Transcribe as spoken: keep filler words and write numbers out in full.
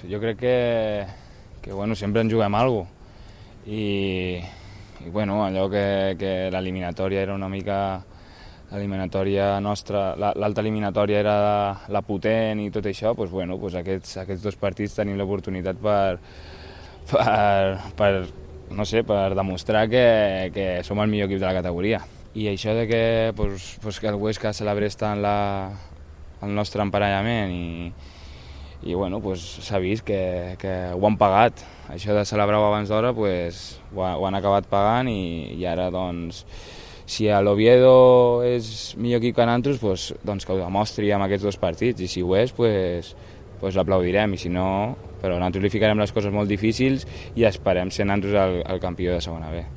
Jo crec que, que bueno, sempre en juguem alguna cosa i, i bueno, allò que, que l'eliminatòria era una mica l'eliminatòria nostra, l'alta eliminatòria era la potent i tot això, doncs, bueno, doncs aquests, aquests dos partits tenim l'oportunitat per, per, per, no sé, per demostrar que, que som el millor equip de la categoria. I això de que, doncs, doncs que el Huesca celebrés tant la, el nostre emparellament i, i bueno, pues, s'ha vist que, que ho han pagat. Això de celebrar-ho abans d'hora pues, ho, ho han acabat pagant i, i ara doncs, si l'Oviedo és millor equip que nosaltres, pues, doncs que ho demostri amb aquests dos partits, i si ho és, pues, pues l'aplaudirem, i si no, però nosaltres li ficarem les coses molt difícils i esperem ser nosaltres el, el campió de segona B.